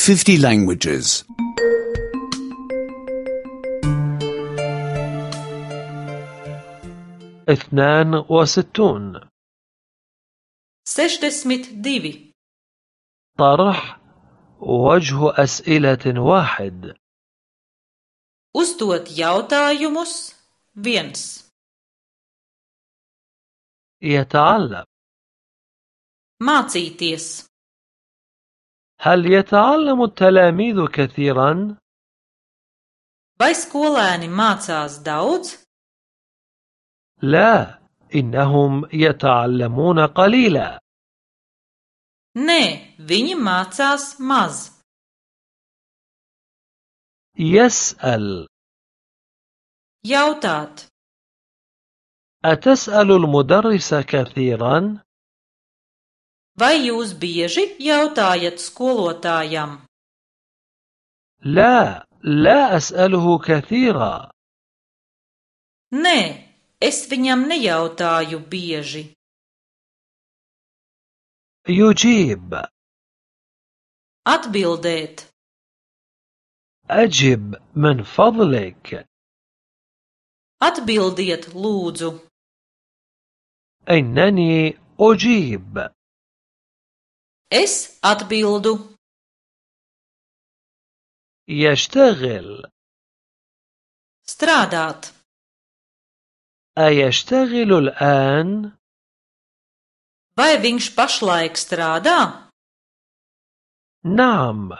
50 languages. 62 62. طرح وجه أسئلة واحد. Uzdot jautājumus 1. يتعلم. Mācīties. هل يتعلم التلاميذ كثيرا؟ Vai skolēni mācās daudz? لا، إنهم يتعلمون قليلا. Nē, viņi mācās maz. يسأل. Jautāt. أتسأل المدرس كثيرا؟ Vai jūs bieži jautājat skolotājam? لا، لا أسأله كثيرا. Nē, es viņam nejautāju bieži. يجيب. Atbildēt. أجب من فضلك. Atbildiet, lūdzu. إنني أجيب. Es atbildu. يشتغل. Strādāt. أيشتغل الآن؟ Vai viņš pašlaik strādā? نعم،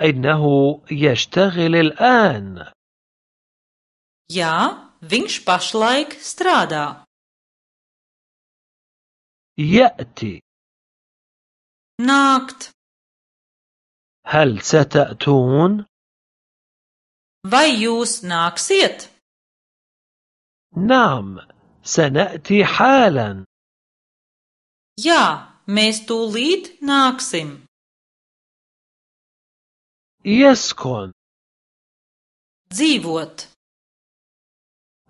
إنه يشتغل الآن. Jā, viņš pašlaik strādā. يأتي. Nākt. هل ستأتون؟ Vai jūs nāksiet? نعم، سنأتي حالا. Jā, mēs tūlīt nāksim. يسكن. Dzīvot.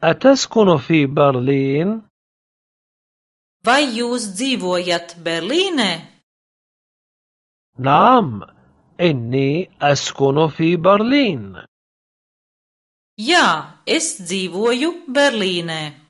أتسكن في برلين؟ Vai jūs dzīvojat Berlīnē? نعم، إني أسكن في برلين. Jā, es dzīvoju Berlīnē.